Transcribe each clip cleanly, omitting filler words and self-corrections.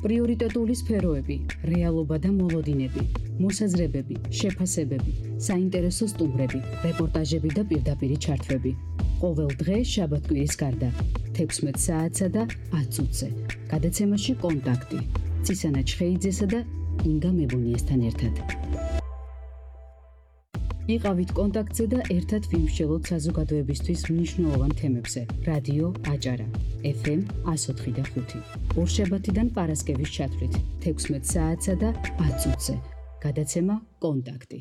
პრიორიტეტული სფეროები, რეალობა და მოლოდინები, მოსაზრებები, შეფასებები, საინტერესო სტუმრები, რეპორტაჟები და პირდაპირი ჩართვები. ყოველ დღე შაბათ-კვირის გარდა 16 საათსა და 10 წუთზე. გადაცემაში კონტაქტი. ცისანა ჩხეიძესა და ინგა მებუნიესთან ერთად. იყავით კონტაქტზე და ერთად ვიმსჯელოთ საზოგადოებისთვის მნიშვნელოვან თემებზე. რადიო აჭარა, FM 104.5. ორშაბათიდან პარასკევის ჩათვლით 16 საათსა და 10 წუთზე. გადაცემა კონტაქტი.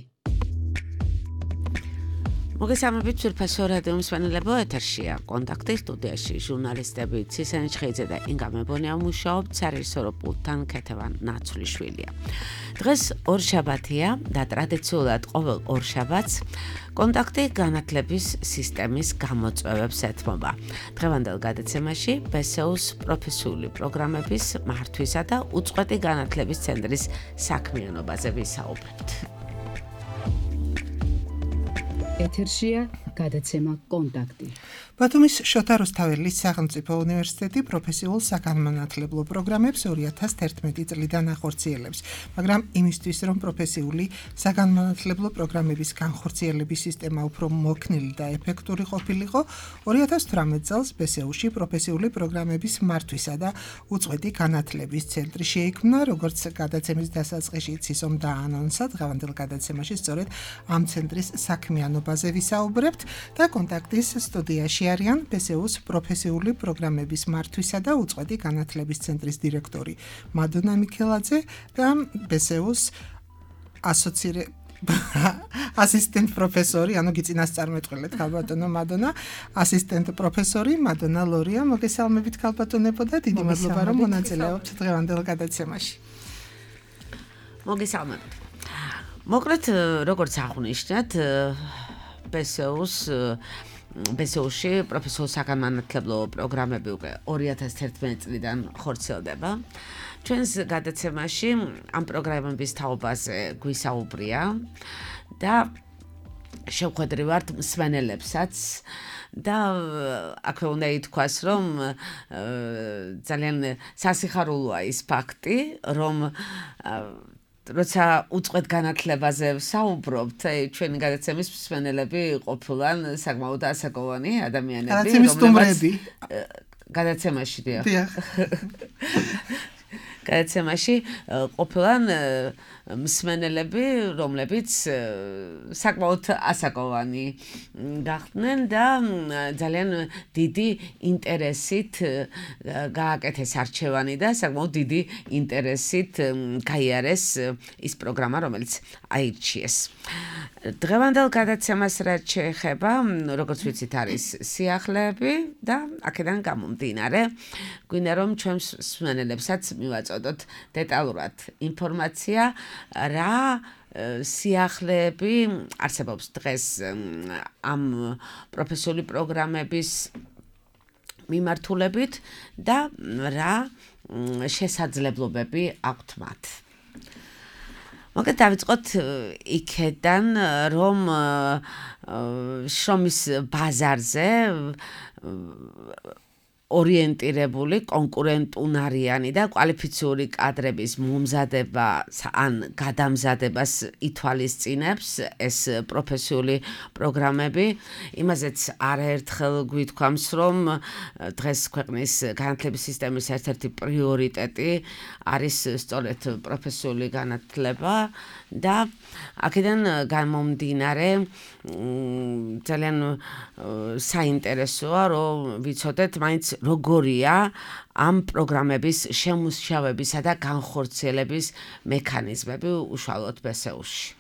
მოგესალმებით ძვირფასო რადიო მსმენელებო, ეთერშია კონტაქტი, სტუდიაში ჟურნალისტები ცისანა ჩხეიძე და ინგა მებონია მუშაობთ, სარეჟისორო პულტთან ქეთევან ნაცვლიშვილია. დღეს ორშაბათია და ტრადიციულად ყოველ ორშაბათს კონტაქტი განათლების სისტემის გამოწვევებს ეთმობა. დღევანდელ გადაცემაში ბესეუს პროფესიული პროგრამების მართვისა და უწყვეტი განათლების ცენტრის საქმიანობაზე ვისაუბრებთ. ეთერშია გადაცემა კონტაქტი. ბათუმის შოთა რუსთაველის სახელმწიფო უნივერსიტეტი პროფესიულ საგანმანათლებლო პროგრამებს 2011 წლიდან ახორციელებს, მაგრამ იმისთვის, რომ პროფესიული საგანმანათლებლო პროგრამების განხორციელების სისტემა უფრო მოქნილი და ეფექტური ყოფილიყო, 2018 წელს ბესეუში პროფესიული პროგრამების მართვისა და უწყვეტი განათლების ცენტრი შეიქმნა, როგორც გადაცემის დასაწყისში იცისომ დაანონსა, დღევანდელ გადაცემაში სწორედ ამ ცენტრის საქმიანობაზე ვისაუბრებთ და კონტაქტის სტუდიაში არიან ბესეუს პროფესიული პროგრამების მართვისა და უწყვეტი განათლების ცენტრის დირექტორი მადონა მიქელაძე და ბესეუს ასისტენტ პროფესორი, ანუ გიწინასწარმეტყველეთ ქალბატონო მადონა, ასისტენტ პროფესორი მადონა ლორია. მოგესალმებით ქალბატონებო და დიდი მადლობა რომ მონაწილეობთ დღევანდელ გადაცემაში. მოგესალმებით. მოკლედ, როგორც აღნიშნეთ, ბესეუსში პროფესიულ საგანმანათლებლო პროგრამები უკვე 2011 წლიდან ხორციელდება. ჩვენს გადაცემაში ამ პროგრამების თაობაზე გვისაუბრია და შევხვედრივართ მსმენელებსაც და აქვე უნდა ითქვას, რომ ძალიან სასიხარულოა ის ფაქტი, რომ როცა უწყვეტ განათლებაზე ვსაუბრობთ, ჩვენი გადაცემის მსმენელები ყოფილან საკმაოდ ასაკოვანი ადამიანები, გადაცემის სტუმრები. გადაცემაში გადაცემაში ყოფილან მსმენელები, რომლებიც საკმაოდ ასაკოვანი გახდნენ და ძალიან დიდი ინტერესით გააკეთეს არჩევანი და საკმაოდ დიდი ინტერესით გაიარეს ის პროგრამა, რომელიც აირჩიეს. დღევანდელ გადაცემას რაც შეეხება, როგორც ვიცით, არის სიახლეები და აქედან გამომდინარე, გვინდა რომ ჩვენს მსმენელებსაც მივაწოდოთ დეტალურად ინფორმაცია, რა სიახლეები არსებობს დღეს ამ პროფესიული პროგრამების მიმართულებით და რა შესაძლებლობები აქვთ მათ. მოკლედ დავიწყოთ იქედან, რომ შრომის ბაზარზე ორიენტირებული, კონკურენტუნარიანი და კვალიფიციური კადრების მომზადება ან გადამზადებას ითვალისწინებს ეს პროფესიული პროგრამები. იმაზეც არაერთხელ გვითქვამს, რომ დღეს ქვეყნის განათლების სისტემის ერთ-ერთი პრიორიტეტი არის სწორედ პროფესიული განათლება და აქედან გამომდინარე ძალიან საინტერესოა, რომ ვიცოდეთ მაინც როგორია ამ პროგრამების შემუშავებისა და განხორციელების მექანიზმები უშუალოდ ბესეუსში.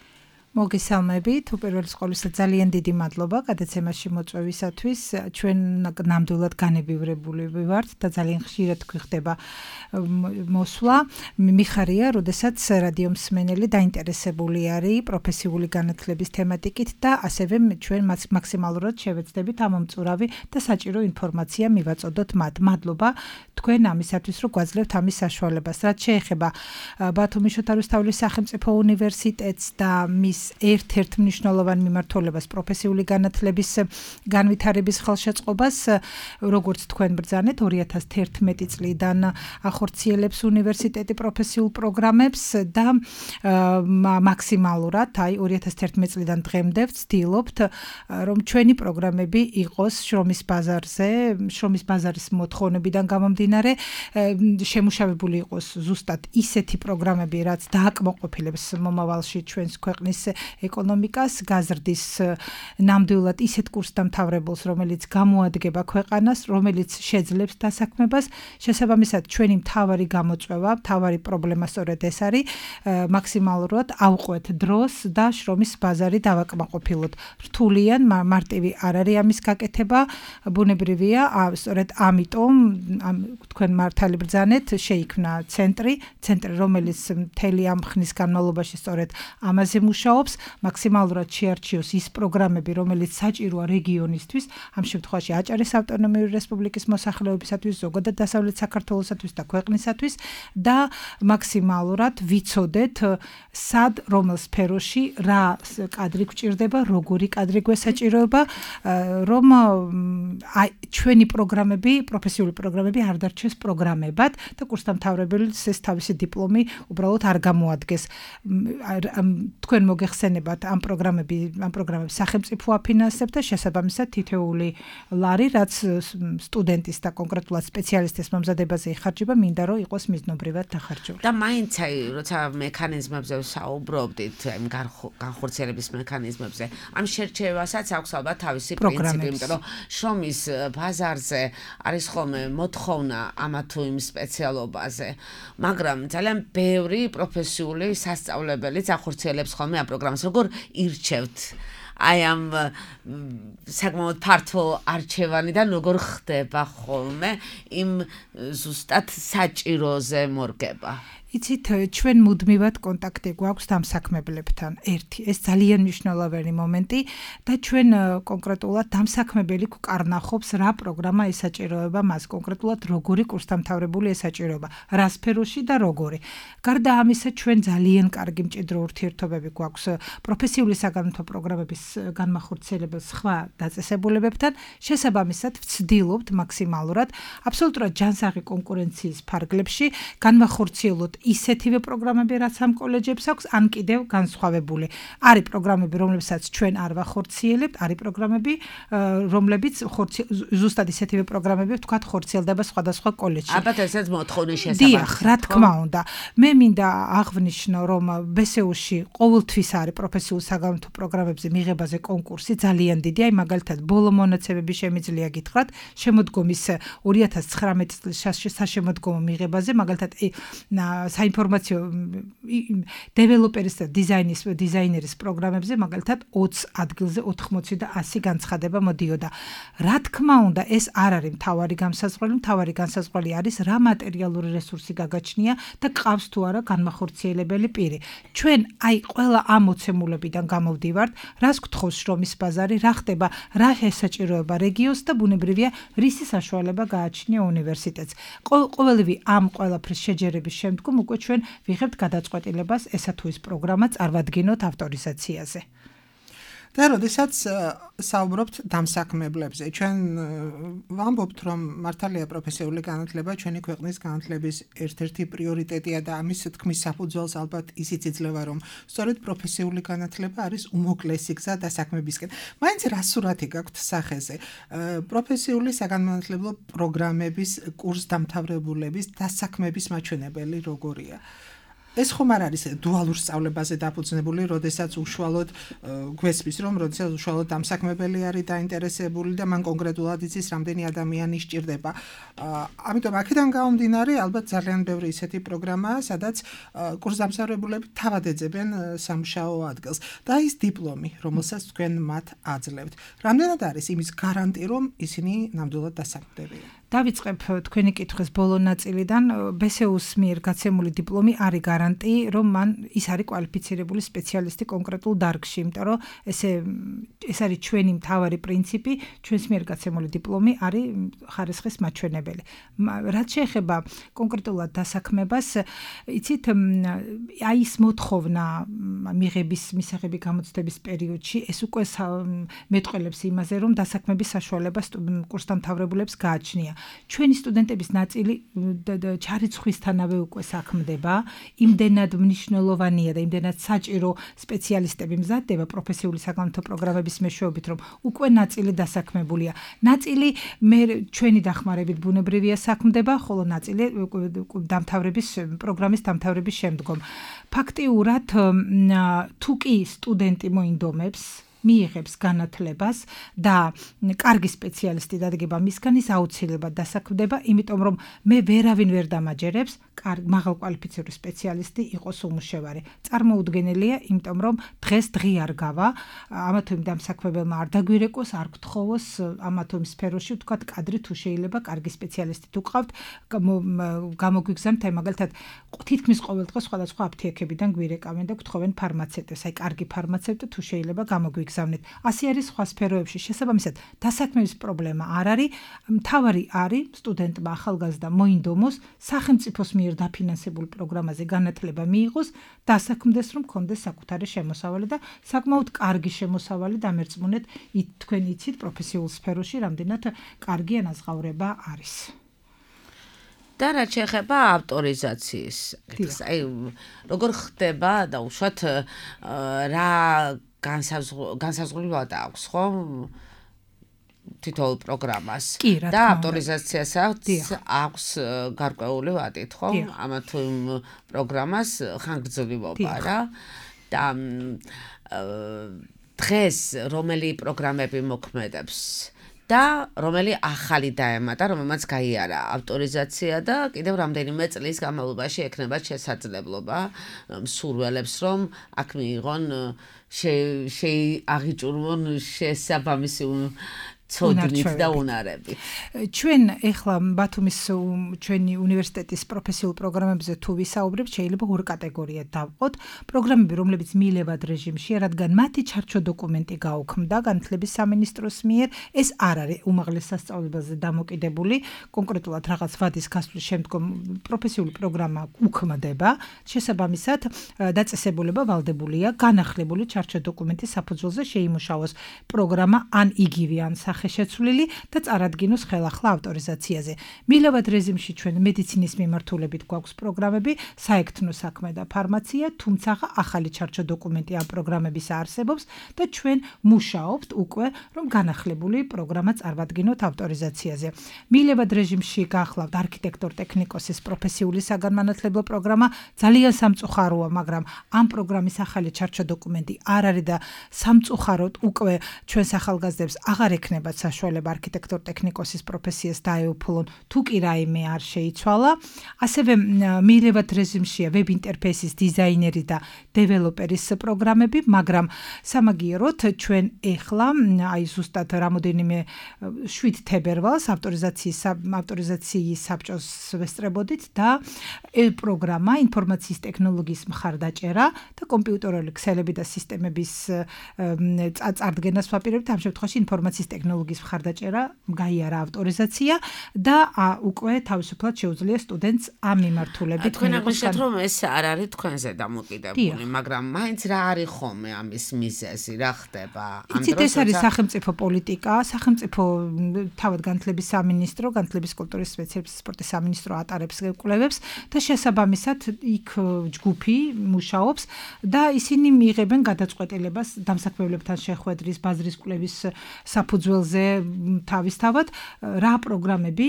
მოგესალმებით, უპირველეს ყოვლისა ძალიან დიდი მადლობა გადაცემაში მოწვევისათვის. ჩვენ ნამდვილად განებივრებული ვართ და ძალიან ხშირად გვხდება მოსვლა. მიხარია, როდესაც რადიო მსმენელი დაინტერესებული არის პროფესიული განათლების თემატიკით და ასევე ჩვენ მაქსიმალურად შევეცდებით ამომწურავი და საჭირო ინფორმაცია მივაწოდოთ მათ. მადლობა თქვენ ამისათვის, რომ გვაძლევთ ამის საშუალებას. რაც შეეხება ბათუმის შოთა რუსთაველის სახელმწიფო უნივერსიტეტს და მის ერთ-ერთ მნიშვნელოვან მიმართულებას პროფესიული განათლების განვითარების ხელშეწყობას, როგორც თქვენ ბრძანეთ 2011 წლიდან ახორციელებს უნივერსიტეტი პროფესიულ პროგრამებს და მაქსიმალურად 2011 წლიდან დღემდე ვცდილობთ რომ ჩვენი პროგრამები იყოს შრომის ბაზარის მოთხოვნებიდან გამომდინარე შემუშავებული იყოს ზუსტად ისეთი პროგრამები, რაც დააკმაყოფილებს მომავალში ჩვენს ქვეყნის ეკონომიკას, გაზრდის ნამდვილად ისეთ კურსდამთავრებულს, რომელიც გამოადგება ქვეყანას, რომელიც შეძლებს დასაქმებას. შესაბამისად, ჩვენი მთავარი გამოწვევა, მთავარი პრობლემა სწორედ ეს არის, მაქსიმალურად ავყვეთ დროს და შრომის ბაზარი დავაკმაყოფილოთ. რთულიან, მარტივი არ არის ამის გაკეთება, ბუნებრივია, სწორედ ამიტომ თქვენ მართალი ბრძანეთ, შეიქმნა ცენტრი, რომელიც მთელი ამ ხნის განმავლობაში სწორედ ამაზე მუშაობს, მაქსიმალურად შეარჩიოს ის პროგრამები, რომელიც საჭიროა რეგიონისთვის, ამ შემთხვევაში აჭარის ავტონომიური რესპუბლიკის მოსახლეობისათვის, ზოგადად დასავლეთ საქართველოსათვის და ქვეყნისათვის და მაქსიმალურად ვიცოდეთ, სად, რომელ სფეროში რა კადრი გვჭირდება, როგორი კადრი გვესაჭიროება, რომ ჩვენი პროგრამები, პროფესიული პროგრამები არ დარჩეს პროგრამებად და კურსდამთავრებელს ეს თავისი დიპლომი უბრალოდ არ გამოადგეს. თქვენ მოგეხსენებათ ამ პროგრამებს სახელმწიფო აფინანსებს და შესაბამისად თითეული ლარი, რაც სტუდენტის და კონკრეტულად სპეციალისტის მომზადებაზე იხარჯება, მინდა რომ იყოს მიზნობრივად დახარჯული. და მაინც როცა მექანიზმებზე ვსაუბრობდით, განხორციელების მექანიზმებზე, ამ შერჩევასაც აქვს ალბათ თავისი პრინციპი, იმიტომ რომ შრომის ბაზარზე არის ხოლმე მოთხოვნა ამა თუ იმ სპეციალობაზე, მაგრამ ძალიან ბევრი პროფესიული სასწავლებელიც ახორციელებს ხოლმე ამ პროგრამას. როგორ ირჩევთ აი ამ საკმაოდ ფართო არჩევანიდან როგორ ხდება ხოლმე იმ ზუსტად საჭიროზე მორგება? იცით, ჩვენ მუდმივად კონტაქტი გვაქვს დამსაქმებლებთან. ეს ძალიან მნიშვნელოვანი მომენტი და ჩვენ კონკრეტულად დამსაქმებელი გვკარნახობს რა პროგრამა ესაჭიროება მას, კონკრეტულად როგორი კურსდამთავრებული ესაჭიროება, რა სფეროში და როგორი. გარდა ამისა, ჩვენ ძალიან კარგი მჭიდრო ურთიერთობები გვაქვს პროფესიული საგანმანათლებლო პროგრამების განმახორციელებელ სხვა დაწესებულებებთან, შესაბამისად ვცდილობთ მაქსიმალურად აბსოლუტურად ჯანსაღი კონკურენციის ფარგლებში განმახორციელოთ ისეთივე პროგრამები, რაც ამ კოლეჯებს აქვს, ან კიდევ განსხვავებული. არის პროგრამები, რომლებსაც ჩვენ არ ვახორციელებთ, არის პროგრამები, რომლებიც ზუსტად ისეთივე პროგრამები, ვთქვათ, ხორციელდება სხვადასხვა კოლეჯში. ალბათ ესეც მოთხოვნის შესაბამისად. დიახ, რა თქმა უნდა. მე მინდა აღვნიშნო, რომ BSU-ში ყოველთვის არის პროფესიულ საგანმანათლებლო პროგრამებზე მიღებაზე კონკურსი ძალიან დიდი. აი მაგალითად, ბოლო მონაცემები შემიძლია გითხრათ, შემოდგომის 2019 წლის საშემოდგომო მიღებაზე, მაგალითად საინფორმაციო დეველოპერის და დიზაინერის პროგრამებზე მაგალითად 20 ადგილზე 80 და 100 განცხადება მოდიოდა. რა თქმა უნდა, ეს არ არის მთავარი განსაზღვრელი, მთავარი განსაზღვრელი არის რა მატერიალური რესურსი გაგაჩნია და ყავს თუ არა განმახორციელებელი პირი. ჩვენ აი ყველა ამ მოცემულებიდან გამოვდივართ, რას გთხოვს შრომის ბაზარი, რა ხდება, რა ესაჭიროება რეგიონს და ბუნებრივია რისი საშუალება გააჩნია უნივერსიტეტს. ყოველივე ამ ყველაფრის შეჯერების შემდგომ უკვე ჩვენ ვიღებთ გადაწყვეტილებას ესა თუ ის პროგრამა წარვადგინოთ ავტორიზაციაზე. და როდესაც საუბრობთ დამსაქმებლებზე, ჩვენ ვამბობთ, რომ მართალია პროფესიული განათლება ჩვენი ქვეყნის განათლების ერთ-ერთი პრიორიტეტია და ამის თქმის საფუძველს ალბათ ისიც იძლევა, რომ სწორედ პროფესიული განათლება არის უმოკლესი გზა დასაქმებისკენ. მაინც რა სურათი გაქვთ სახეზე? პროფესიული საგანმანათლებლო პროგრამების კურსდამთავრებულების დასაქმების მაჩვენებელი როგორია? ეს ხომ არ არის დუალურ სწავლებაზე დაფუძნებული, როდესაც უშუალოდ გვესმის, რომ როდესაც უშუალოდ დამსაქმებელი არის დაინტერესებული და მან კონკრეტულად იცის, რამდენი ადამიანი სჭირდება. ამიტომ აქედან გამომდინარე, ალბათ ძალიან ბევრი ისეთი პროგრამაა, სადაც კურსდამთავრებულები თავად ეძებენ სამუშაო ადგილს. და ის დიპლომი, რომელსაც თქვენ მათ აძლევთ. რამდენად არის იმის გარანტი, რომ ისინი ნამდვილად დასაქმდებიან? დავიწყებ თქვენი კითხვის ბოლო ნაწილიდან. BSEU-ს მიერ გაცემული დიპლომი არის გარანტი, რომ მან ის არის კვალიფიცირებული სპეციალისტი კონკრეტულ დარგში, იმიტომ რომ ეს არის ჩვენი მთავარი პრინციპი, ჩვენს მიერ გაცემული დიპლომი არის ხარისხის მაჩვენებელი. რაც შეეხება კონკრეტულად დასაქმებას, იცით, აი ის მოთხოვნა მისაღები გამოცდების პერიოდში, ეს უკვე მეტყველებს იმაზე, რომ დასაქმების საშუალება კურსდამთავრებულებს გააჩნია. ჩვენი სტუდენტების ნაწილი ჩარიცხვისთანავე უკვე საქმდება, იმდენად მნიშვნელოვანია და იმდენად საჭირო სპეციალისტები მზადდება პროფესიული საგანმანათლებლო პროგრამების მეშვეობით, რომ უკვე ნაწილი დასაქმებულია. ნაწილი ჩვენი დახმარებით ბუნებრივია საქმდება, ხოლო ნაწილი პროგრამის დამთავრების შემდგომ. ფაქტიურად თუ კი სტუდენტი მოინდომებს მიიღებს განათლებას და კარგი სპეციალისტი დადგება მისგან, ის აუცილებლად დასაქმდება, იმიტომ რომ მე ვერავინ ვერ დამაჯერებს მაღალკვალიფიციური სპეციალისტი იყოს უმუშევარი. წარმოუდგენელია, იმიტომ რომ დღეს დღე არ გავა, ამა თუ იმ დამსაქმებელმა არ დაგვირეკოს, არ გთხოვოს ამა თუ იმ სფეროში, ვთქვათ, კადრი თუ შეიძლება კარგი სპეციალისტი თუ გყავთ, გამოგვიგზავნთ, აი მაგალითად, თითქმის ყოველ დღე სხვადასხვა აფთიაქებიდან გვირეკავენ და გთხოვენ ფარმაცევტებს, აი კარგი ფარმაცევტი თუ შეიძლება გამოგვიგზავნეთ. ასე არის სხვა სფეროებში. შესაბამისად, დასაქმების პრობლემა არ არის. მთავარი არის სტუდენტმა ახალგაზრდა მოინდომოს, სახელმწიფოს მიერ დაფინანსებულ პროგრამაზე განათლება მიიღოს, დასაქმდეს, რომ ქონდეს საკუთარი შემოსავალი და საკმაოდ კარგი შემოსავალი დამერწმუნეთ, თქვენ იცით პროფესიულ სფეროში რამდენად კარგი ანაზღაურება არის. და რაც შეეხება ავტორიზაციის, აი როგორ ხდება და უშუალოდ რა განსაზღვრავად აქვს, ხო? თითოეულ პროგრამას და ავტორიზაციასაც აქვს გარკვეული ვადით, ხო? ამა თუ იმ პროგრამას ხანგრძლივობა რა. და დღეს რომელი პროგრამები მოქმედებს და რომელი ახალი დაემატა, რომელმაც გაიარა ავტორიზაცია და კიდევ რამდენიმე წლის განმავლობაში ექნება შესაძლებლობა მსურველებს, რომ აქ მიიღონ აღიჭურვონ შესაბამისი ცოდნით და უნარები. ჩვენ ეხლა ბათუმის ჩვენი უნივერსიტეტის პროფესიულ პროგრამებზე თუ ვისაუბრებთ, შეიძლება ორ კატეგორიად დავყოთ. პროგრამები, რომლებიც მიილევად რეჟიმშია, რადგან მათი ჩარჩო დოკუმენტი გაუქმდა განათლების სამინისტროს მიერ, ეს არ არის უმაღლეს სასწავლებელზე დამოკიდებული, კონკრეტულად რაღაც ვადის გასვლის შემდგომ პროფესიული პროგრამა უქმდება. შესაბამისად, დაწესებულება ვალდებულია განახლებული ჩარჩო დოკუმენტის საფუძველზე შეიმუშაოს პროგრამა ან იგივე ან ხელშეცვლილი და წარადგინოს ხელახლა ავტორიზაციაზე. მილევად რეჟიმში ჩვენ მედიცინის მიმართულებით გვაქვს პროგრამები, საექთნო საქმე და ფარმაცია, თუმცა ახალი ჩარჩო დოკუმენტი ამ პროგრამების არსებობს და ჩვენ მუშაობთ უკვე, რომ განახლებული პროგრამა წარვადგინოთ ავტორიზაციაზე. მილევად რეჟიმში გახლავთ არქიტექტორ-ტექნიკოსის პროფესიული საგანმანათლებლო პროგრამა, ძალიან სამწუხაროა, მაგრამ ამ პროგრამის ახალი ჩარჩო დოკუმენტი არ არის და სამწუხაროდ უკვე ჩვენს ახალგაზრდებს აღარ ექნება საშუალება არქიტექტორ-ტექნიკოსის პროფესიას დაეუფლონ, თუ კი რაიმე არ შეიცვალა. ასევე მილევად რეჟიმშია ვებ ინტერფეისის დიზაინერი და დეველოპერის პროგრამები, მაგრამ სამაგიეროდ ჩვენ ეხლა აი ზუსტად რამოდენიმე 7 თებერვალს ავტორიზაციის საბჭოს ვესწრებოდით და პროგრამა ინფორმაციის ტექნოლოგიის მხარდაჭერა და კომპიუტერული ქსელები და სისტემების წარდგენას ვაპირებთ. ამ შემთხვევაში ინფორმაციის ტექნოლოგიის მხარდაჭერა გაიარა ავტორიზაცია და უკვე თავისუფლად შეუძლია სტუდენტს ამ მიმართულებით. თქვენ აღნიშნეთ, რომ ეს არ არის თქვენზე დამოკიდებული, მაგრამ მაინც რა არის ხოლმე ამის მიზეზი, რა ხდება? ამ დროს ეს არის სახელმწიფო პოლიტიკა, სახელმწიფო თავად განათლების სამინისტრო, განათლების კულტურის სპეციალისტების სპორტის სამინისტრო ატარებს კვლევებს და შესაბამისად იქ ჯგუფი მუშაობს და ისინი მიიღებენ გადაწყვეტილებას დამსაქმებლებთან შეხვედრის, ბაზრის კვლევის საფუძველზე თავისთავად რა პროგრამები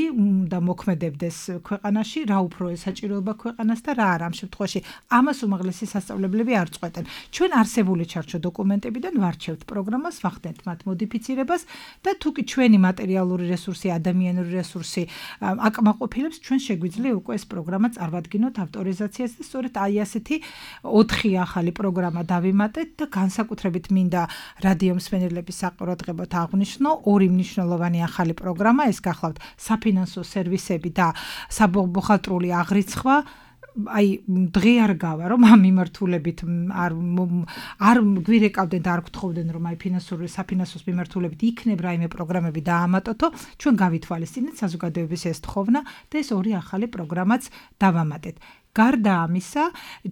და მოქმედებდეს ქვეყანაში, რა უფრო ესაჭიროება ქვეყანას და რა არა. ამ შემთხვევაში ამას უმაღლესი სასწავლებლები არ წყვეტენ. ჩვენ არსებული ჩარჩო დოკუმენტებიდან ვარჩევთ პროგრამას, ვახდენთ მათ მოდიფიცირებას და თუ კი ჩვენი მატერიალური რესურსი, ადამიანური რესურსი აკმაყოფილებს, ჩვენ შეგვიძლია უკვე ეს პროგრამა წარვადგინოთ ავტორიზაციას და სწორედ აი ასეთი 4 ახალი პროგრამა დავიმატეთ და განსაკუთრებით მინდა რადიო მსმენელების საყურადღებოდ აღვნიშნო ორი მნიშვნელოვანი ახალი პროგრამა, ეს გახლავთ საფინანსო სერვისები და საბუხალტრული აღრიცხვა. აი დღე არ გავა რომ ამ მიმართულებით არ გვირეკავდნენ და არ გთხოვდნენ რომ აი საფინანსოს მიმართულებით იქნებ რაიმე პროგრამები დაამატოთო ჩვენ გავითვალისწინეთ საზოგადოების ეს თხოვნა და ეს ორი ახალი პროგრამაც დავამატეთ გარდა ამისა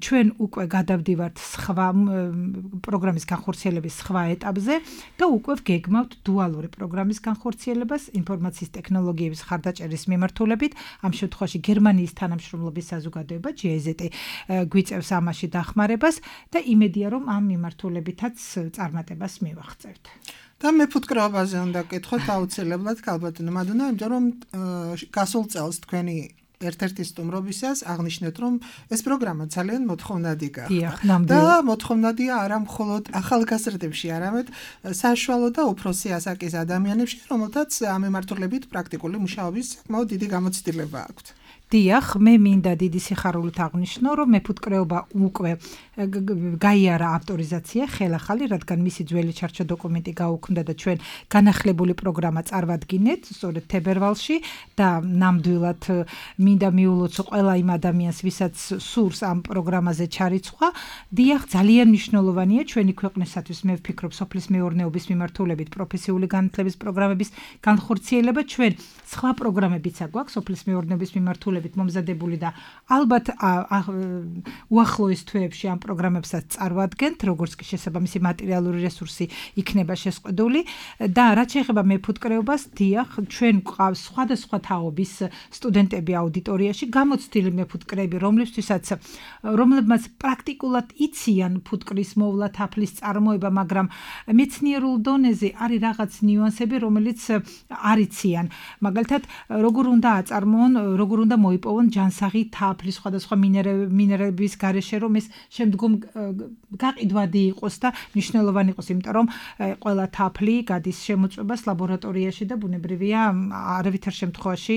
ჩვენ უკვე გადავდივართ სხვა პროგრამის განხორციელების სხვა ეტაპზე და უკვე გეგმავთ დუალური პროგრამის განხორციელებას ინფორმაციის ტექნოლოგიების ხარდაჭერის მიმართულებით ამ შემთხვევაში გერმანიის თანამშრომლობის საზოგადოება GIZ გვიწევს ამაში დახმარებას და იმედია რომ ამ მიმართულებითაც წარმატებას მივაღწევთ და მეფუტკრეობაზე უნდა გკითხოთ აუცილებლად ქალბატონო მადუნა იმიტომ რომ გასულ წელს თქვენი ერთ-ერთი სტუმრობისას აღნიშნეთ, რომ ეს პროგრამა ძალიან მოთხოვნადი გახდა. და მოთხოვნადია არა მხოლოდ ახალგაზრდებში, არამედ საშუალო და უფროსი ასაკის ადამიანებში, რომელთაც ამ მიმართულებით პრაქტიკული მუშაობის საკმაოდ დიდი გამოცდილება აქვთ. დიახ, მე მინდა დიდი სიხარულით აღნიშნო, რომ მეფუტკრეობა უკვე გაიარა ავტორიზაცია ხელახალი, რადგან მისი ძველი ჩარჩო დოკუმენტი გაუქმდა და ჩვენ განახლებული პროგრამა წარვადგინეთ, სწორედ თებერვალში და ნამდვილად მინდა მიულოცო ყველა იმ ადამიანს, ვისაც სურს ამ პროგრამაზე ჩარიცხვა. დიახ, ძალიან მნიშვნელოვანია ჩვენი ქვეყნისათვის, მე ვფიქრობ, სოფლის მეურნეობის მიმართულებით პროფესიული განათლების პროგრამების განხორციელება. ჩვენ სხვა პროგრამებიც აგვაქვს სოფლის მეურნეობის მიმართულებით მომზადებული და ალბათ უახლოეს თვეებში ამ პროგრამებსაც წარვადგენთ, როგორც კი შესაბამისი მატერიალური რესურსი იქნება შესყიდული და რაც შეეხება მეფუტკრეობას, დიახ, ჩვენ გვყავს სხვადასხვა თაობის სტუდენტები აუდიტორიაში, გამოცდილი მეფუტკრეები, რომლებმაც პრაქტიკულად იციან ფუტკრის მოვლა, თაფლის წარმოება, მაგრამ მეცნიერულ დონეზე არის რაღაც ნიუანსები, რომელიც არ იციან. მაგალითად, როგორ უნდა აწარმოონ, როგორ უნდა მოიპოვონ ჯანსაღი თაფლი სხვადასხვა მინერალების გარეშე, რომ ეს შემდგომ გაყიდვადი იყოს და მნიშვნელოვანი იყოს, იმიტომ რომ ყველა თაფლი გადის შემოწმებას ლაბორატორიაში და ბუნებრივია არავითარ შემთხვევაში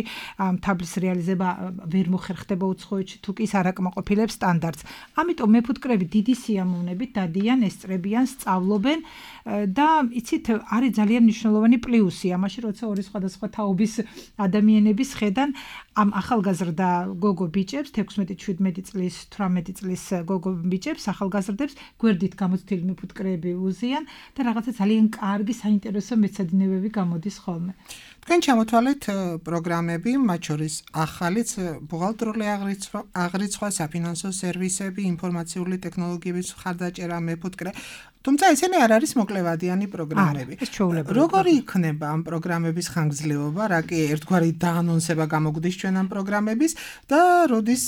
თაფლის რეალიზება ვერ მოხერხდება უცხოეთში თუ კი არ აკმაყოფილებს სტანდარტს. ამიტომ მეფუტკრეები დიდი სიამოვნებით დადიან, ესწრებიან, სწავლობენ და იცით, არის ძალიან მნიშვნელოვანი პლუსი ამაში, როცა ორი სხვადასხვა თაობის ადამიანების ხედან ამ ახალგაზრდა გოგო ბიჭებს 16-17 წლის 18 წლის გოგო ბიჭებს ახალგაზრდებს გვერდით გამოცდილი მეფუტკრეები უზიან და რაღაცა ძალიან კარგი საინტერესო მეცადინეებები გამოდის ხოლმე. თქვენ ჩამოთვალეთ პროგრამები, მათ შორის ახალიც ბუღალტრული აღრიცხვა, საფინანსო სერვისები, ინფორმაციული ტექნოლოგიების ხარდაჭერა, მეფუტკრე. თუმცა ესენი არ არის მოკლევადიანი პროგრამები. როგორი იქნება ამ პროგრამების ხანგრძლივობა, რა კი ერთგვარი დაანონსება გამოგვდის ჩვენ ამ პროგრამების და როდის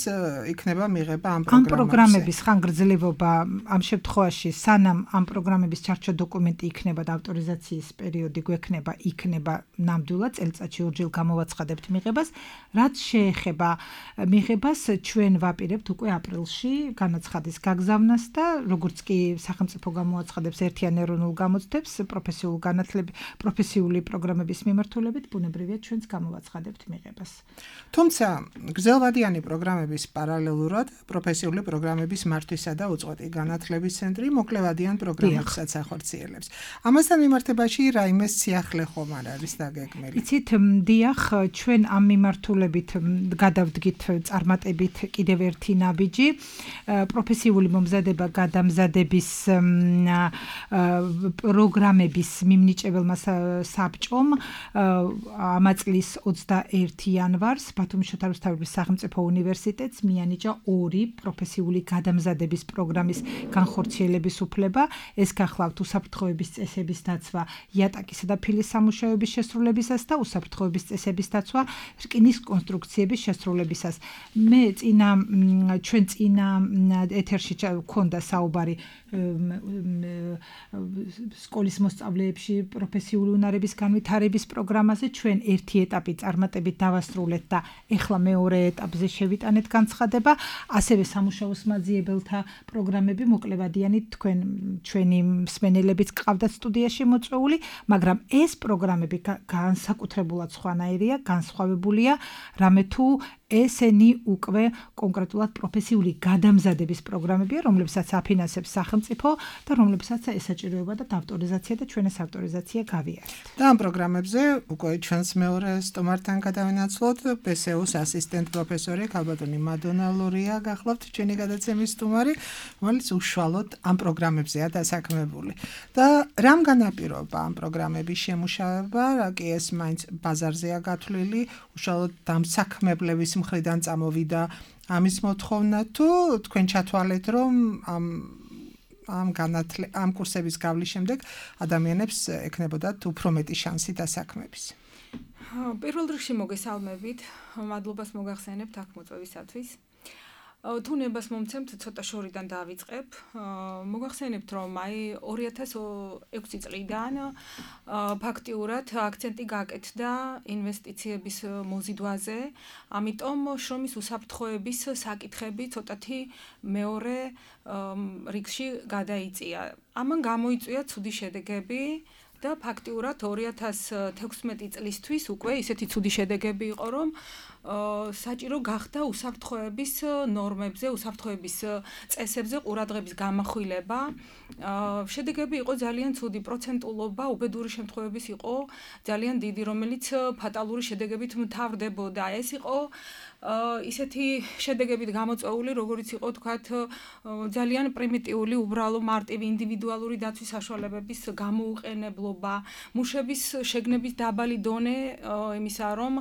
იქნება მიღება ამ პროგრამებზე? ამ პროგრამების ხანგრძლივობა ამ შემთხვევაში, სანამ ამ პროგრამების ჩარჩო დოკუმენტი იქნება და ავტორიზაციის პერიოდი გვექნება, იქნება ნამდვილად წელიწადში ორჯერ გამოვაცხადებთ მიღებას. რაც შეეხება მიღებას, ჩვენ ვაპირებთ უკვე აპრილში განაცხადის გაგზავნას და როგორც კი სახელმწიფო გამოაცხადებს ერთიან ეროვნულ გამოცდებს პროფესიული პროგრამების მიმართულებით, ბუნებრივია ჩვენც გამოვაცხადებთ მიღებას. თუმცა გრძელვადიანი პროგრამების პარალელურად პროფესიული პროგრამების მართვისა და უწყვეტი განათლების ცენტრი მოკლევადიან პროგრამებსაც ახორციელებს. ამასთან მიმართებაში რაიმე სიახლე ხომ არ არის დაგეგმილი? იცით, დიახ, ჩვენ ამ მიმართულებით გადავდგით წარმატებით კიდევ ერთი ნაბიჯი, პროფესიული მომზადება გადამზადების პროგრამების მიმნიჭებელმა საბჭომ ამა წლის 21 იანვარს ბათუმის შოთა რუსთაველის სახელმწიფო უნივერსიტეტს მიანიჭა 2 პროფესიული გადამზადების პროგრამის განხორციელების უფლება. ეს გახლავთ უსაფრთხოების წესების დაცვა იატაკისა და ფილის სამუშაოების შესრულებისას და უსაფრთხოების წესების დაცვა რკინის კონსტრუქციების შესრულებისას. ჩვენ წინა ეთერში გქონდა საუბარი სკოლის მოსწავლეებში პროფესიული უნარების განვითარების პროგრამაზე. ჩვენ ერთი ეტაპი წარმატებით დავასრულეთ და ეხლა მეორე ეტაპზე შევიტანეთ განცხადება. ასევე სამუშაოს მაძიებელთა პროგრამები მოკლევადიანი ჩვენი მსმენელებიც ყავდათ სტუდიაში მოწვეული, მაგრამ ეს პროგრამები განსაკუთრებულად სხვანაირია, განსხვავებულია, რამე თუ ესენი უკვე კონკრეტულად პროფესიული გადამზადების პროგრამებია, რომლებსაც აფინანსებს სახელმწიფო და რომლებსაც ესაჭიროება და ავტორიზაცია და ჩვენს ავტორიზაცია გავიარეთ. და ამ პროგრამებზე უკვე ჩვენს მეორე სტუმართან გადავინაცვლოთ PSU-ს ასისტენტ პროფესორი ქალბატონი მადონა ლურია გახლავთ ჩვენი გადაცემის სტუმარი, რომელიც უშუალოდ ამ პროგრამებზეა დასაქმებული. და რამ განაპირობა ამ პროგრამების შემუშავება, რა კი ეს მაინც ბაზარზეა გათვლილი, უშუალოდ დამსაქმებლების მხრიდან წამოვიდა ამის მოთხოვნა თუ თქვენ ჩათვალეთ რომ ამ კურსების გავლის შემდეგ ადამიანებს ექნებოდათ უფრო მეტი შანსი დასაქმების. პირველ რიგში მოგესალმებით, მადლობას მოგახსენებთ აქ მოწვევისათვის. თუ ნებას მომცემთ, ცოტა შორიდან დავიწყებ. მოგახსენებთ, რომ 2006 წლიდან ფაქტიურად აქცენტი გაკეთდა ინვესტიციების მოზიდვაზე, ამიტომ შრომის უსაფრთხოების საკითხები ცოტათი მეორე რიგში გადაიწია. ამან გამოიწვია ცუდი შედეგები და ფაქტიურად 2016 წლისთვის უკვე ისეთი ცუდი შედეგები იყო, რომ საჭირო გახდა უსაფრთხოების ნორმებზე, უსაფრთხოების წესებზე ყურადღების გამახვილება. შედეგები იყო ძალიან ცუდი, პროცენტულობა უბედური შემთხვევების იყო ძალიან დიდი, რომელიც ფატალური შედეგებით მთავრდებოდა. ეს იყო ისეთი შედეგებით გამოწვეული, როგორც იყო თქვათ ძალიან პრიმიტიული, უბრალო მარტივი ინდივიდუალური დაცვის საშუალებების გამოუყენებლობა, მუშების შეგნების დაბალი დონე იმისა, რომ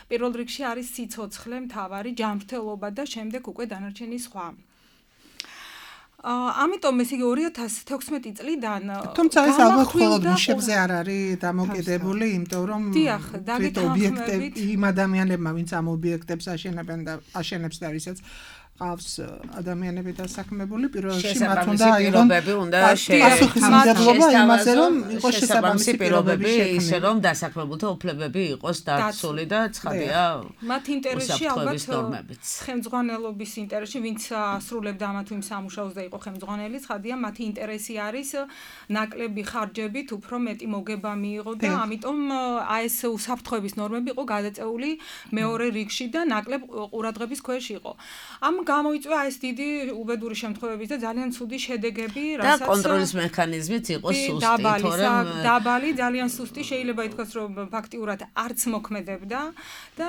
პირველ რიგში არის სიცოცხლე, მთავარი ჯანმრთელობა და შემდეგ უკვე დანარჩენი სხვა. ამიტომ ეს იგი 2016 წლიდან თუმცა ეს ალბათ მხოლოდ მუშებზე არ არის დამოკიდებული, იმიტომ რომ ობიექტები იმ ადამიანებმა, ვინც ამ ობიექტებს აშენებენ და აშენებს და ვისაც ყავს ადამიანები დასაქმებული, პირველ რიგში მათ უნდა აიღონ პასუხისმგებლობა იმაზე, რომ იყოს შესაბამისი პირობები ისე რომ დასაქმებულთა უფლებები იყოს დაცული და ცხადია მათ ინტერესში ალბათ ხელმძღვანელობის ინტერესში, ვინც ასრულებდა ამა თუ იმ სამუშაოს და იყო ხელმძღვანელი, ცხადია მათი ინტერესი არის ნაკლები ხარჯებით უფრო მეტი მოგება მიიღო და ამიტომ ეს უსაფრთხოების ნორმები იყო გადაწეული მეორე რიგში და ნაკლებ ყურადღების ქვეშ იყო. ამ გამოიწვია ეს დიდი უბედური შემთხვევების და ძალიან ცუდი შედეგები, რასაც და კონტროლის მექანიზმიც იყო სუსტი, თორემ დაბალი, ძალიან სუსტი, შეიძლება ითქვას, რომ ფაქტიურად არც მოქმედებდა და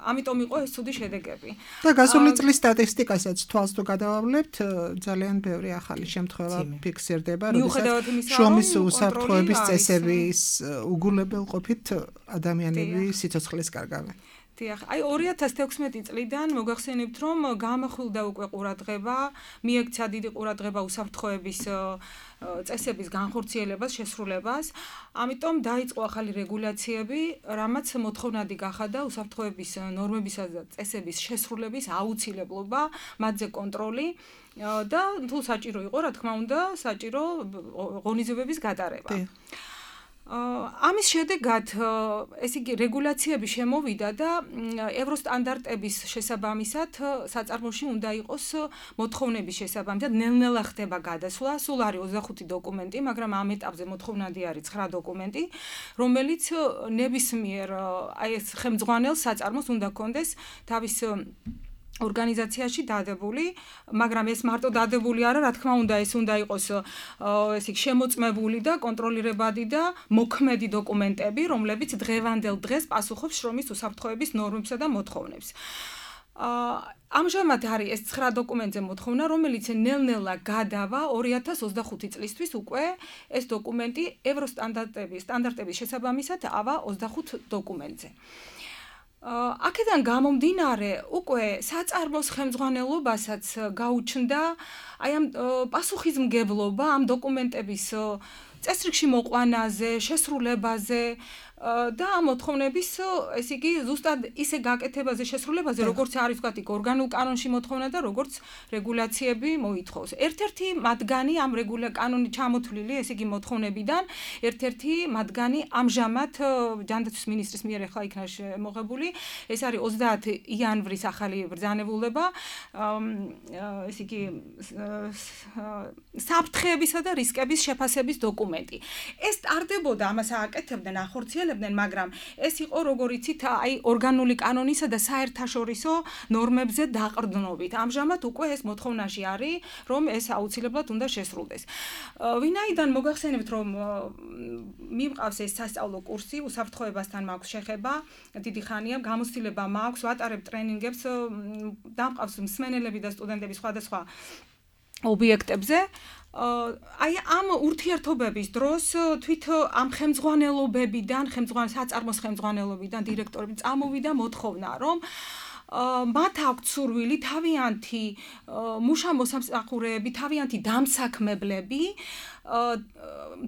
ამიტომ იყო ეს ცუდი შედეგები. და გასული წლის სტატისტიკასაც თვალს თუ გადავავლებთ, ძალიან ბევრი ახალი შემთხვევა ფიქსირდება, როდესაც შრომის უსაფრთხოების წესების უგულებელყოფით ადამიანები სიცოცხლეს კარგავენ. დიახ, 2016 წლიდან მოგახსენებთ, რომ გამახვილდა უკვე ყურადღება, მიექცა დიდი ყურადღება უსაფრთხოების წესების განხორციელებას, შესრულებას. ამიტომ დაიწყო ახალი რეგულაციები, რამაც მოთხოვნადი გახადა უსაფრთხოების ნორმებისა და წესების შესრულების აუცილებლობა, მათზე კონტროლი და თუ საჭირო იყო, რა თქმა უნდა, საჭირო ღონისძიებების გატარება. ამის შედეგად ესე იგი რეგულაციები შემოვიდა და ევროსტანდარტების შესაბამისად საწარმოში უნდა იყოს მოთხოვნების შესაბამისად ნელ-ნელა ხდება გადასვლა, სულ არის 25 დოკუმენტი, მაგრამ ამ ეტაპზე მოთხოვნადი არის 9 დოკუმენტი, რომელიც ნებისმიერ აი ეს ხელმძღვანელს საწარმოს უნდა კონდეს თავის ორგანიზაციაში დადებული, მაგრამ ეს მარტო დადებული არა, რა თქმა უნდა, ეს უნდა იყოს ესე იგი შემოწმებული და კონტროლირებადი და მოქმედი დოკუმენტები, რომლებიც დღევანდელ დღეს პასუხობს შრომის უსაფრთხოების ნორმებსა და მოთხოვნებს. ამჟამად არის ეს 9 დოკუმენტზე მოთხოვნა, რომელიც ნელ-ნელა გადავა 2025 წლისთვის უკვე ეს დოკუმენტი ევროსტანდარტების შესაბამისად ავა 25 დოკუმენტზე. აქედან გამომდინარე, უკვე საწარმოს ხელმძღვანელობასაც გაუჩნდა აი ამ პასუხისმგებლობა ამ დოკუმენტების წესრიგში მოყვანაზე, შესრულებაზე და ამ მოთხოვნების ესე იგი ზუსტად ისე გაკეთებაზე, შესრულებაზე, როგორც არის ვთქვათ, ორგანულ კანონში მოთხოვნა და როგორც რეგულაციები მოითხოვს. ერთ-ერთი მათგანი ამ კანონით ჩამოთვლილი, ესე იგი მოთხოვნებიდან, ერთ-ერთი მათგანი ამჟამად ჯანდაცვის მინისტრის მიერ ახლა იქნა შემოღებული, ეს არის 30 იანვრის ახალი ბრძანებულება, ესე იგი საფრთხეებისა და რისკების შეფასების დოკუმენტი. ეს ტარდებოდა, ამას ააკეთებდნენ ახორციელებდნენ ახორციელებდნენ, მაგრამ ეს იყო როგორ იცით, აი ორგანული კანონისა და საერთაშორისო ნორმებზე დაყრდნობით. ამჟამად უკვე ეს მოთხოვნაში არის, რომ ეს აუცილებლად უნდა შესრულდეს. ვინაიდან მოგახსენებთ, რომ მიმყავს ეს სასწავლო კურსი, უსაფრთხოებასთან მაქვს შეხება, დიდი ხანია, გამოცდილება მაქვს, ვატარებ ტრენინგებს, დამყავს მსმენელები და სტუდენტები სხვადასხვა ობიექტებზე. აი ამ ურთიერთობების დროს თვით ამ ხელმძღვანელობებიდან, საწარმოს ხელმძღვანელობიდან დირექტორები წამოვიდა მოთხოვნა, რომ მათ აქვთ სურვილი თავიანთი მუშამოსამსახურეები, თავიანთი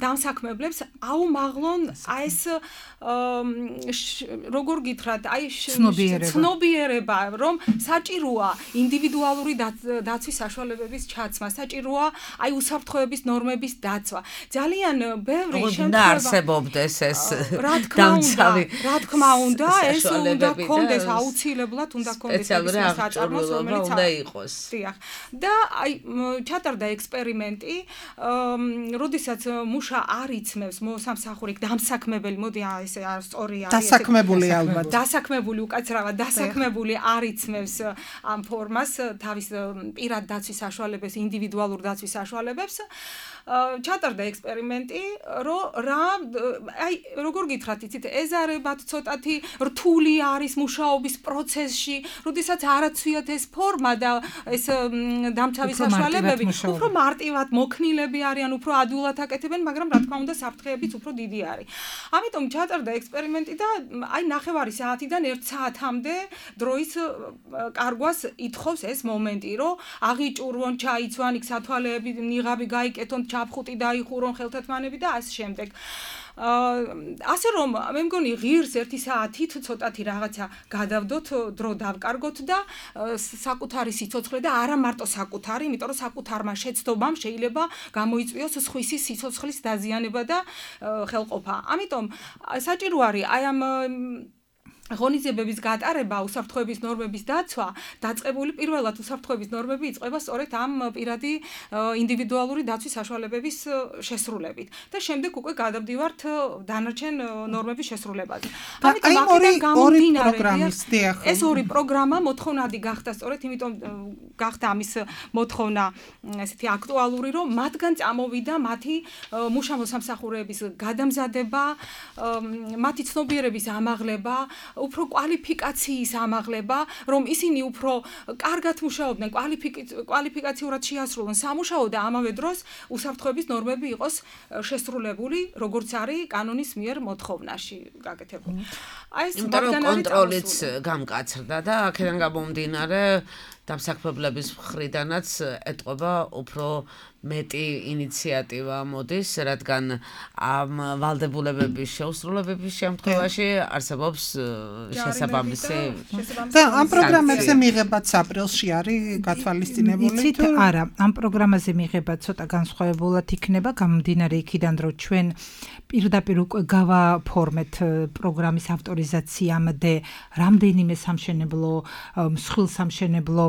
დამსაქმებლებს აუმაღლონ ეს როგორ გითხრათ, აი ცნობიერება, რომ საჭიროა ინდივიდუალური დაცვის საშუალებების ჩაცმა, საჭიროა აი უსაფრთხოების ნორმების დაცვა. ძალიან ბევრი შემთხვევა არსებობდეს ეს დამცავი. რა თქმა უნდა, ეს უნდა კონდეს აუცილებლად უნდა კონდეს საწარმოს, რომელიც უნდა იყოს. დიახ. და აი ჩატარდა ექსპერიმენტი, როდესაც მუშა არ იცმევს მოსამსახური დამსაქმებელი, მოდი ესე სწორი არის. დასაქმებული ალბათ. დასაქმებული უკაცრავად, დასაქმებული არ იცმევს ამ ფორმას თავის პირად დაცვის საშუალებებს, ინდივიდუალურ დაცვის საშუალებებს. ჩატარდა ექსპერიმენტი, აი როგორ გითხრათ, იცით, ეზარებათ ცოტათი რთული არის მუშაობის პროცესში, როდესაც არაცვიათ ეს ფორმა და ეს დამცავი საშუალებები, უფრო მარტივად მოქნილები არიან, უფრო ადვილად აკეთებენ, მაგრამ რა თქმა უნდა საფრთხეებიც უფრო დიდი არის. ამიტომ ჩატარდა ექსპერიმენტი და აი 9:30 საათიდან 1 საათამდე დროის კარგვას ითხოვს ეს მომენტი, რომ აღიჭურვონ, ჩაიცვან, იქ სათვალეები, ნიღაბი გაიკეთონ, ჩაფხუტი დაიხურონ, ხელთათმანები და ასე შემდეგ. ასე რომ მე მგონი ღირს 1 საათით ცოტათი რაღაცა გადავდოთ, დრო დავკარგოთ და საკუთარი სიცოცხლე და არა მარტო საკუთარი, იმიტომ რომ საკუთარმა შეცდომამ შეიძლება გამოიწვიოს სხვისი სიცოცხლის დაზიანება და ხელყოფა. ამიტომ საჭირო არის აი ამ ღონისძიებების გატარება, უსაფრთხოების ნორმების დაცვა, დაწყებული პირველად უსაფრთხოების ნორმები იწყება სწორედ ამ პირადი ინდივიდუალური დაცვის საშუალებების შესრულებით და შემდეგ უკვე გადავდივართ დანარჩენ ნორმების შესრულებაზე. ამიტომ აქედან გამომდინარე, ეს ორი პროგრამა მოთხოვნადი გახდა სწორედ, იმიტომ გახდა ამის მოთხოვნა ესეთი აქტუალური, რომ მათგან წამოვიდა მათი მუშამოსამსახურეების გადამზადება, მათი ცნობიერების ამაღლება, უფრო კვალიფიკაციის ამაღლება, რომ ისინი უფრო კარგად მუშაობდნენ, კვალიფიკაციურად შეასრულონ სამუშაო და ამავე დროს უსაფრთხოების ნორმები იყოს შესრულებული, როგორც არის კანონის მიერ მოთხოვნაში გაკეთებული. აი ეს კონტროლიც გამკაცრდა და აქედან გამომდინარე დამსაქმებლების მხრიდანაც ეტყობა უფრო მეტი ინიციატივა მოდის, რადგან ამ ვალდებულებების შეუსრულებების შემთხვევაში არსებობს შესაბამისი და ამ პროგრამებზე მიღებაც აპრილში არის გათვალისწინებული. იცით, არა, ამ პროგრამაზე მიღება ცოტა განსხვავებულად იქნება, გამომდინარე იქიდან, რომ ჩვენ პირდაპირ უკვე გავაფორმეთ პროგრამის ავტორიზაციამდე რამდენიმე სამშენებლო, მსხვილ სამშენებლო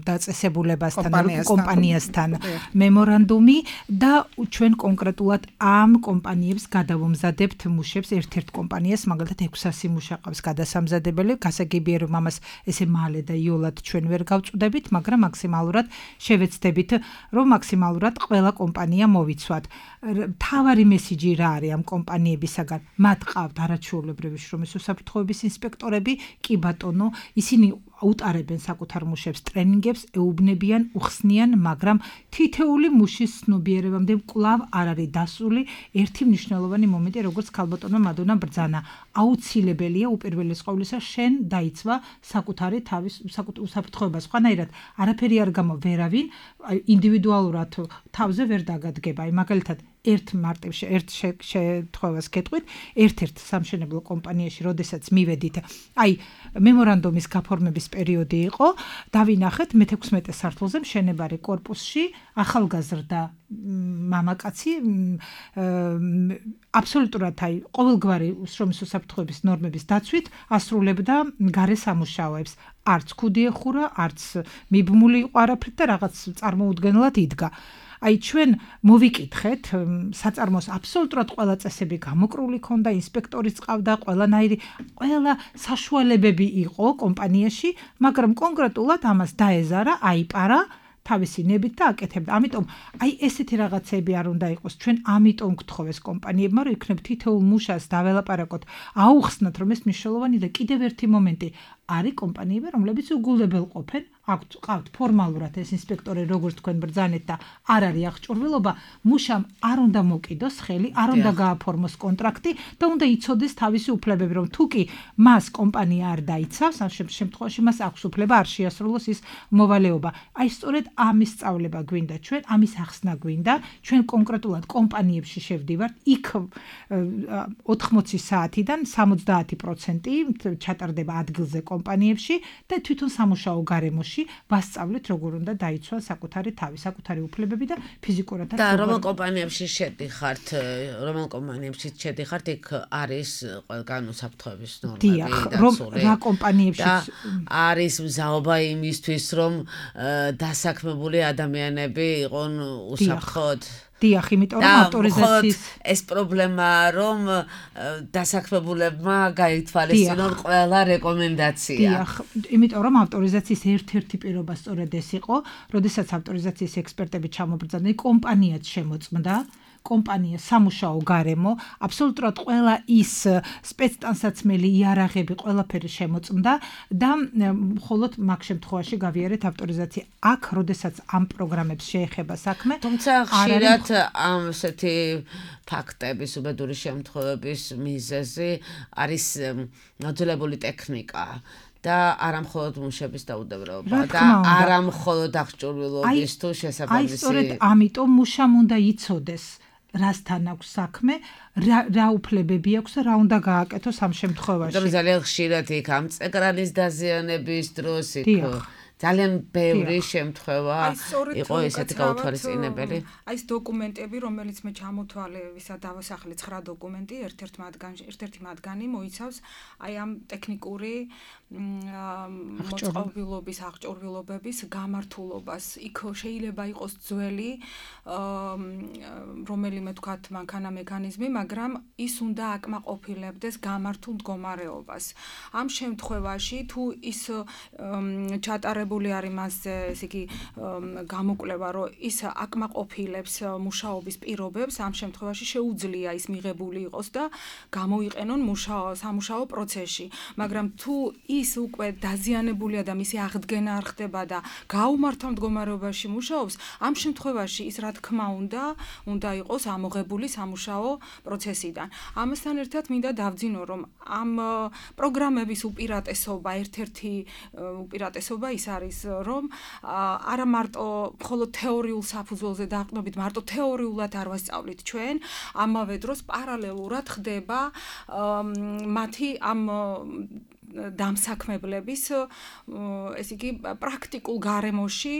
დაწესებულებასთან, კომპანიასთან მემორანდუმი და ჩვენ კონკრეტულად ამ კომპანიებს გადავამზადებთ მუშებს, ერთ-ერთ კომპანიას, მაგალითად 600 მუშა ყავს გადასამზადებელი, გასაგებია რომ ამას ესე მალე და იოლად ჩვენ ვერ გავწვდებით, მაგრამ მაქსიმალურად შევეცდებით, რომ მაქსიმალურად ყველა კომპანია მოვიცვათ. თავარი მესიჯი რა არის ამ კომპანიებისაგან? მათ ყავთ არაჩვეულებრივი შრომის უსაფრთხოების ინსპექტორები, კი ბატონო, ისინი უტარებენ საკუთარ მუშებს ტრენინგებს, ეუბნებიან, უხსნიან, მაგრამ თითეული მუშის ცნობიერებამდე კვლავ არ არის დასული ერთი მნიშვნელოვანი მომენტი, როგორც ქალბატონმა მადონამ ბრძანა. აუცილებელია უპირველეს ყოვლისა შენ დაიცვა საკუთარი თავის უსაფრთხოება. სხვანაირად არაფერი არ გამო ვერავინ ინდივიდუალურად თავზე ვერ დაგადგება. აი მაგალითად ერთ შემთხვევას გეტყვით, ერთ-ერთ სამშენებლო კომპანიაში, როდესაც მივედით, აი მემორანდუმის გაფორმების პერიოდი იყო, დავინახეთ მე-16 სართულზე მშენებარე კორპუსში ახალგაზრდა მამაკაცი აბსოლუტურად აი ყოველგვარი შრომის უსაფრთხოების ნორმების დაცვით ასრულებდა გარე სამუშაოებს. არც ქუდი ეხურა, არც მიბმული იყო არაფრით და რაღაც წარმოუდგენლად იდგა. აი ჩვენ მოვიკითხეთ საწარმოს აბსოლუტურად ყველა წესები გამოკრული ქონდა, ინსპექტორიც ყავდა, ყველა საშუალებები იყო კომპანიაში, მაგრამ კონკრეტულად ამას დაეზარა, აიპარა თავისი ნებით და აკეთებდა. ამიტომ აი ესეთი რაღაცები არ უნდა იყოს. ჩვენ ამიტომ გთხოვეს კომპანიებმა, რომ იქნებ თითოეულ მუშას დაველაპარაკოთ, აუხსნათ, რომ ეს მნიშვნელოვანი და კიდევ ერთი მომენტი არის კომპანიები, რომლებიც უგულებელ ყოფენ, ყავთ ფორმალურად ეს ინსპექტორი, როგორც თქვენ ბრძანეთ და არ არის აღჭურვილობა, მუშამ არ უნდა მოკიდოს ხელი, არ უნდა გააფორმოს კონტრაქტი და უნდა იცოდეს თავისი უფლებები, რომ თუ კი მას კომპანია არ დაიცავს, ამ შემთხვევაში მას აქვს უფლება არ შეასრულოს ის მოვალეობა. აი სწორედ ამის სწავლება გვინდა ჩვენ, ამის ახსნა გვინდა, ჩვენ კონკრეტულად კომპანიებში შევდივართ, იქ 80 საათიდან 70% ჩატარდება ადგილზე კომპანიებში და თვითონ სამუშაო გარემოში ვასწავლეთ როგორ უნდა დაიცვა საკუთარი თავი, საკუთარი უფლებები და ფიზიკურადაც. და რომელ კომპანიებში შედიხართ, იქ არის ყველგან უსაფრთხოების ნორმები დაცული. რა კომპანიებში არის მზაობა იმისთვის, რომ დასაქმებული ადამიანები იყონ უსაფრთხოდ. დიახ, იმიტომ რომ ავტორიზაციის ეს პრობლემაა, რომ დასაქმებულებმა გაითვალისწინონ ყველა რეკომენდაცია. დიახ, იმიტომ რომ ავტორიზაციის ერთ-ერთი პირობა სწორედ ეს იყო, როდესაც ავტორიზაციის ექსპერტები ჩამობრძანდნენ, კომპანიაც შემოწმდა, კომპანია სამუშაო გარემო, აბსოლუტურად ყველა ის სპეცტანსაცმელი იარაღები ყველაფერი შემოწმდა და მხოლოდ მაგ შემთხვევაში გავიარეთ ავტორიზაცია. აქ, როდესაც ამ პროგრამებს შეეხება საქმე, თუმცა ხშირად ამ ესეთი ფაქტების, უბედური შემთხვევების მიზეზი არის მოძველებული ტექნიკა. და არა მხოლოდ მუშების დაუდევრობა და არა მხოლოდ აღჭურვილობის თუ შესაბამისი. აი სწორედ ამიტომ მუშამ უნდა იცოდეს რასთან აქვს საქმე, რა უფლებები აქვს და რა უნდა გააკეთოს ამ შემთხვევაში. იმიტომ ძალიან ხშირად იქ ამ წეკრალის დაზიანების დროს იქ ძალიან ბევრი შემთხვევა იყო ესეთი გაუთვალისწინებელი. აი ეს დოკუმენტები, რომელიც მე ჩამოთვალე, ვისაც დავასახლე 9 დოკუმენტი, ერთ-ერთი მათგანი მოიცავს აი ამ ტექნიკური მოწყობილობის, აღჭურვილობების გამართულობას. იქ შეიძლება იყოს ძველი რომელიმე თქვათ მანქანა მექანიზმი, მაგრამ ის უნდა აკმაყოფილებდეს გამართულ მდგომარეობას. ამ შემთხვევაში თუ ის ჩატარებული არის მასზე, ესე იგი გამოკვლევა, რომ ის აკმაყოფილებს მუშაობის პირობებს, ამ შემთხვევაში შეუძლია ის მიღებული იყოს და გამოიყენონ სამუშაო პროცესში. მაგრამ თუ ის უკვე დაზიანებულია და მისი აღდგენა არ ხდება და გაუმართავ მდგომარეობაში მუშაობს, ამ შემთხვევაში ის რა თქმა უნდა იყოს ამოღებული სამუშაო პროცესიდან. ამასთან ერთად მინდა დავძინო, რომ ამ პროგრამების უპირატესობა, ერთ-ერთი უპირატესობა ის არის, რომ არა მარტო მხოლოდ თეორიულ საფუძველზე დაყრდნობით, მარტო თეორიულად არ ვასწავლით ჩვენ, ამავე დროს პარალელურად ხდება მათი ამ დამსაქმებლების ეს იგი პრაქტიკულ გარემოში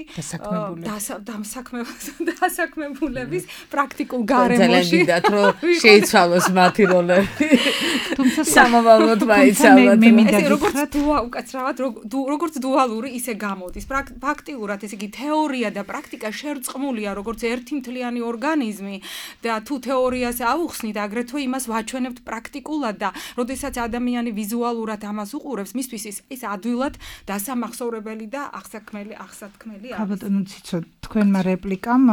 დასაქმებულების პრაქტიკულ გარემოში ძალიან რომ შეიცვალოს მათი როლები თუმცა სამომავლოდ მაიცავთ მე მინდა როგორც დუალური ისე გამოდის ფაქტიურად ეს იგი თეორია და პრაქტიკა შერწყმულია როგორც ერთი მთლიანი ორგანიზმი და თუ თეორიას აუხსნით აგრეთვე იმას ვაჩვენებთ პრაქტიკულად და როდესაც ადამიანი ვიზუალურად ამას უყურებს, მისთვის ის ადვილად დასამახსოვრებელი და აღსაქმელი არის. ბატონო ციცო, თქვენმა რეპლიკამ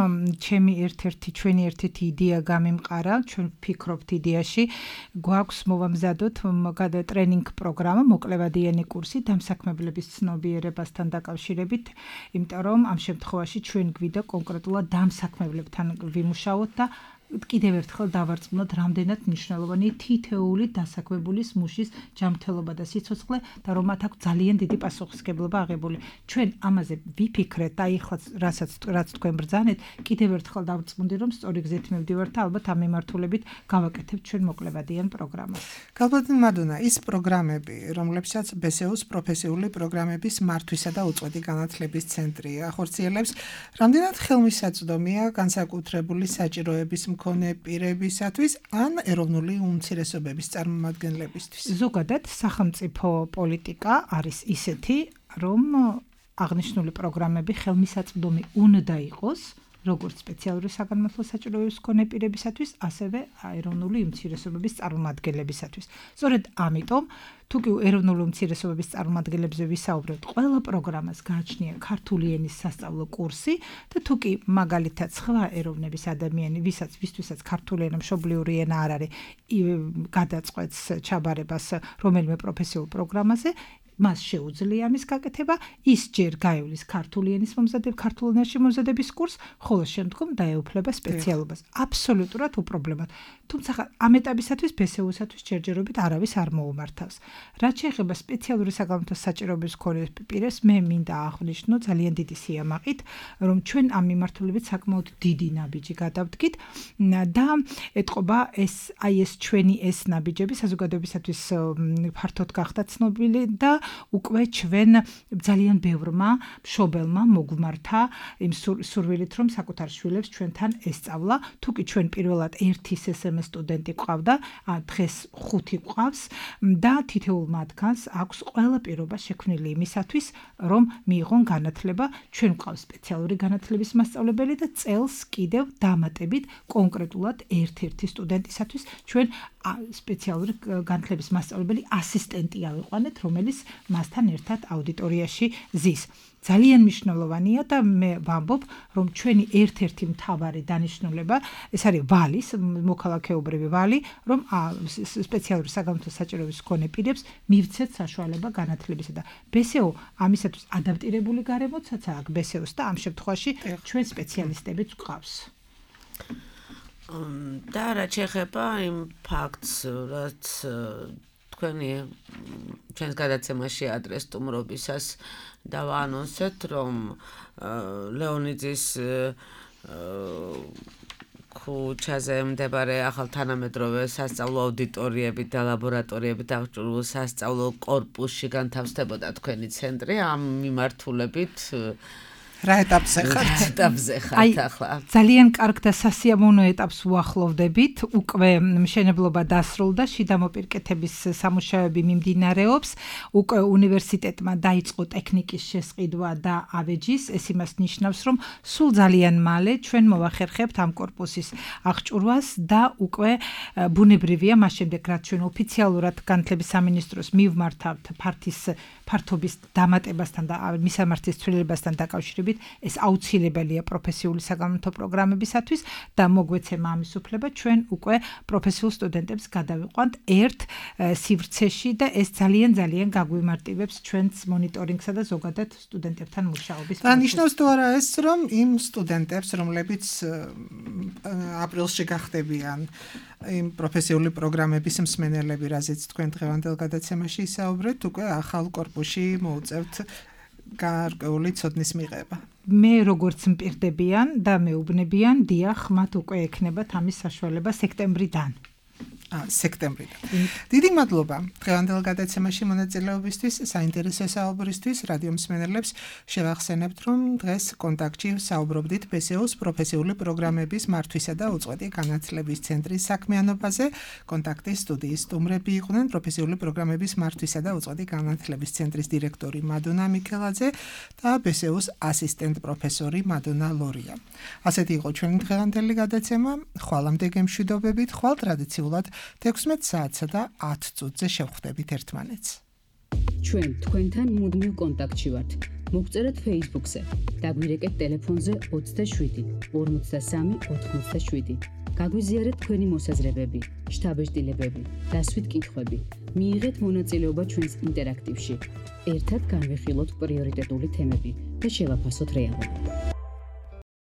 ჩვენი ერთ-ერთი იდეა გამიმყარა, ჩვენ ვფიქრობთ იდეაში, გვაქვს მოვამზადოთ ტრენინგ პროგრამა, მოკლევადიანი კურსი დამსაქმებლების ცნობიერებასთან დაკავშირებით, იმიტომ რომ ამ შემთხვევაში ჩვენ გვიდა კონკრეტულად დამსაქმებლებთან ვიმუშაოთ და კიდევ ერთხელ დავარწმუნოთ, რამდენად მნიშვნელოვანია თითოეული დასაქმებულის მუშის ჯანმრთელობა და სიცოცხლე და რომ მათ აქვს ძალიან დიდი პასუხისმგებლობა აღებული. ჩვენ ამაზე ვიფიქრეთ და ეხლა რაც თქვენ ბრძანეთ, კიდევ ერთხელ დავარწმუნდი, რომ სწორი გზით მივდივართ და ალბათ ამ მიმართულებით გავაკეთებთ ჩვენ მოკლევადიან პროგრამას. გალბატონ მადონა, ის პროგრამები, რომლებსაც BSEU-ს პროფესიული პროგრამების მართვისა და უწყვეტი განათლების ცენტრი ახორციელებს, რამდენად ხელმისაწვდომია განსაკუთრებული საჭიროების მქონე პირებისათვის ან ეროვნული უმცირესობების წარმომადგენლებისთვის. ზოგადად სახელმწიფო პოლიტიკა არის ისეთი, რომ აღნიშნული პროგრამები ხელმისაწვდომი უნდა იყოს როგორც სპეციალური საგანმანათლებლო საჭიროების მქონე პირებისათვის, ასევე ეროვნული უმცირესობების წარმომადგენლებისათვის. სწორედ ამიტომ, თუ კი ეროვნული უმცირესობების წარმომადგენლებზე ვისაუბრებთ, ყველა პროგრამას გააჩნია ქართული ენის სასწავლო კურსი და თუ კი მაგალითად სხვა ეროვნების ადამიანი, ვისთვისაც ქართული ენა მშობლიური ენა არ არის, გადაწყვეტს ჩაბარებას რომელიმე პროფესიულ პროგრამაზე, მას შეუძლია ამის გაკეთება, ის ჯერ გაივლის ქართული ენის ქართულ ენაში მომზადების კურსს, ხოლო შემდგომ დაეუფლება სპეციალობას. აბსოლუტურად უპრობლემოდ. თუმცა ამ ეტაპისათვის ბესეუსათვის ჯერჯერობით არავის არ მოუმართავს. რაც შეეხება სპეციალური საგანმანათლებლო საჭიროების მქონე პირებს, მე მინდა აღვნიშნო ძალიან დიდი სიამაყით, რომ ჩვენ ამ მიმართულებით საკმაოდ დიდი ნაბიჯი გადავდგით და ეთყობა ეს ჩვენი ნაბიჯები საზოგადოებისათვის ფართოდ გახდა ცნობილი და უკვე ჩვენ ძალიან ბევრმა მშობელმა მოგვმართა იმ სურვილით, რომ საკუთარ შვილებს ჩვენთან ესწავლა. თუ კი ჩვენ პირველად 1 SSM სტუდენტი გვყავდა, დღეს 5 გვყავს და თითოეულ მათგანს აქვს ყველა პირობა შექმნილი იმისათვის, რომ მიიღონ განათლება. ჩვენ გვყავს სპეციალური განათლების მასწავლებელი და წელს კიდევ დამატებით კონკრეტულად ერთ-ერთი სტუდენტისათვის ჩვენ სპეციალური განათლების მასწავლებელი ასისტენტი ავიყვანეთ, რომელიც მასთან ერთად აუდიტორიაში ზის. ძალიან მნიშვნელოვანია და მე ვამბობ, რომ ჩვენი ერთ-ერთი მთავარი დანიშნულება, ეს არის ვალის, მოქალაქეობრივი ვალი, რომ სპეციალური საგანმანათლებლო საჭიროების მქონე პირებს მივცეთ საშუალება განათლებისა და ბესეო ამისათვის ადაპტირებული გარემოცაც აქვს ბესეოს და ამ შემთხვევაში ჩვენ სპეციალისტებიც გვყავს. და რაც შეეხება იმ ფაქტს, რაც თქვენი ჩვენს გადაცემაში ადრეს სტუმრობისას დავაანონსეთ, რომ ლეონიძის ქუჩაზე მდებარე ახალთანამედროვე სასწავლო აუდიტორიები და ლაბორატორიები დაღჭურვილ სასწავლო კორპუსში განთავსდებოდა თქვენი ცენტრი. ამ მიმართულებით რა ეტაპზე ხართ? ახლა. ძალიან კარგ და სასიამოვნო ეტაპს უახლოვდებით. უკვე მშენებლობა დასრულდა, შიდა მოპირკეთების სამუშაოები მიმდინარეობს. უკვე უნივერსიტეტმა დაიწყო ტექნიკის შესყიდვა და ავეჯის. ეს იმას ნიშნავს, რომ სულ ძალიან მალე ჩვენ მოვახერხებთ ამ კორპუსის აღჭურვას და უკვე ბუნებრივია მას შემდეგ, რაც ჩვენ ოფიციალურად განათლების სამინისტროს მივმართავთ ფართობის დამატებასთან და მისამართის ცვლილებასთან დაკავშირებით, ეს აუცილებელია პროფესიული საგანმანათლებლო პროგრამებისათვის და მოგვეცემა ამის უფლება, ჩვენ უკვე პროფესიულ სტუდენტებს გადავიყვანთ ერთ სივრცეში და ეს ძალიან გაგვიმარტივებს ჩვენს მონიტორინგსა და ზოგადად სტუდენტებთან მუშაობის პროცესს. ნიშნავს თუ არა ეს, რომ იმ სტუდენტებს, რომლებიც აპრილში გახდებიან იმ პროფესიული პროგრამების მსმენელები, რაზეც თქვენ დღევანდელ გადაცემაში ისაუბრეთ, უკვე ახალ კორპუსში მოუწევთ გარკვეული ცოდნის მიღება. მე როგორც მპირდებიან და მეუბნებიან, დიახ, მათ უკვე ექნებათ ამის საშუალება სექტემბრიდან. სექტემბრიდან. დიდი მადლობა დღევანდელ გადაცემაში მონაწილეობისთვის, საინტერესო საუბრისთვის. რადიო მსმენელებს შევახსენებთ, რომ დღეს კონტაქტში საუბრობდით ბესეოს პროფესიული პროგრამების მართვისა და უწყვეტი განათლების ცენტრის საქმიანობაზე. კონტაქტის სტუდიის სტუმრები იყვნენ პროფესიული პროგრამების მართვისა და უწყვეტი განათლების ცენტრის დირექტორი მადონა მიქელაძე და ბესეოს ასისტენტ პროფესორი მადონა ლორია. ასეთი იყო ჩვენი დღევანდელი გადაცემა. ხვალამდე გემშვიდობებით, ხვალ ტრადიციულად 16 საათსა და 10 წუთზე შევხვდებით ერთმანეთს. ჩვენ თქვენთან მუდმივ კონტაქტში ვართ. მოგწერეთ Facebook-ზე, დაგვირეკეთ ტელეფონზე 27 53 87. გაგვიზიარეთ თქვენი მოსაზრებები, შთაბეჭდილებები, დასვით კითხვები. მიიღეთ მონაწილეობა ჩვენს ინტერაქტივში. ერთად განვიხილოთ პრიორიტეტული თემები და შევაფასოთ რეალობა.